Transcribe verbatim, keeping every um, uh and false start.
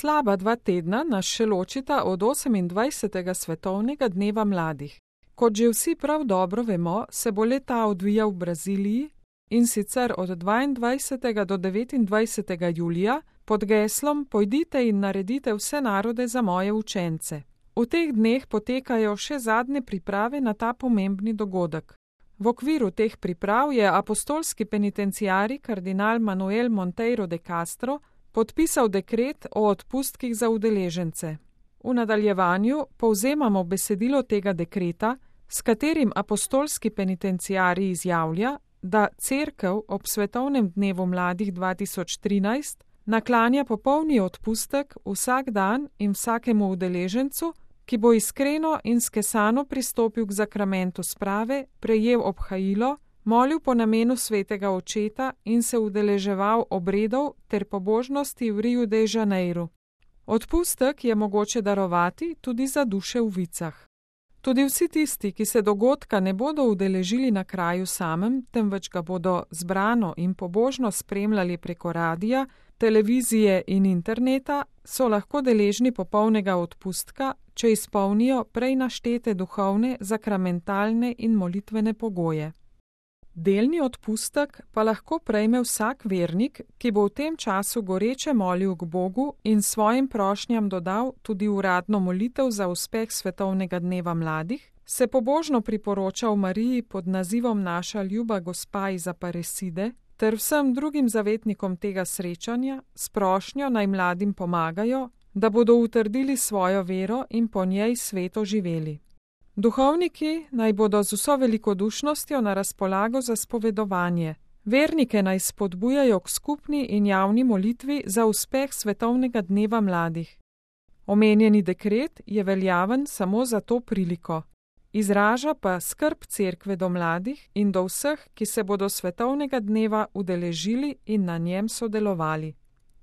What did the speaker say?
Slaba dva tedna nas še ločita od osemindvajsetega svetovnega dneva mladih. Kot že vsi prav dobro vemo, se bo le-ta odvijal v Braziliji, in sicer od dvaindvajsetega do devetindvajsetega julija pod geslom Pojdite in naredite vse narode za moje učence. V teh dneh potekajo še zadnje priprave na ta pomembni dogodek. V okviru teh priprav je apostolski penitenciari kardinal Manuel Monteiro de Castro podpisal dekret o odpustkih za udeležence. V nadaljevanju povzemamo besedilo tega dekreta, s katerim apostolski penitenciari izjavlja, da Cerkev ob svetovnem dnevu mladih dva tisoč trinajst naklanja popolni odpustek vsak dan in vsakemu udeležencu, ki bo iskreno in skesano pristopil k zakramentu sprave, prejel obhajilo, molil po namenu svetega očeta in se udeleževal obredov ter pobožnosti v Riu de Janeiru. Odpustek je mogoče darovati tudi za duše v vicah. Tudi vsi tisti, ki se dogodka ne bodo udeležili na kraju samem, temveč ga bodo zbrano in pobožno spremljali preko radija, televizije in interneta, so lahko deležni popolnega odpustka, če izpolnijo prej naštete duhovne, zakramentalne in molitvene pogoje. Delni odpustek pa lahko prejme vsak vernik, ki bo v tem času goreče molil k Bogu in svojim prošnjam dodal tudi uradno molitev za uspeh svetovnega dneva mladih, se pobožno priporočal Mariji pod nazivom Naša ljuba gospa iz Aparecide ter vsem drugim zavetnikom tega srečanja s prošnjo naj mladim pomagajo, da bodo utrdili svojo vero in po njej sveto živeli. Duhovniki naj bodo z vso velikodušnostjo na razpolago za spovedovanje. Vernike naj spodbujajo k skupni in javni molitvi za uspeh svetovnega dneva mladih. Omenjeni dekret je veljaven samo za to priliko. Izraža pa skrb Cerkve do mladih in do vseh, ki se bodo svetovnega dneva udeležili in na njem sodelovali.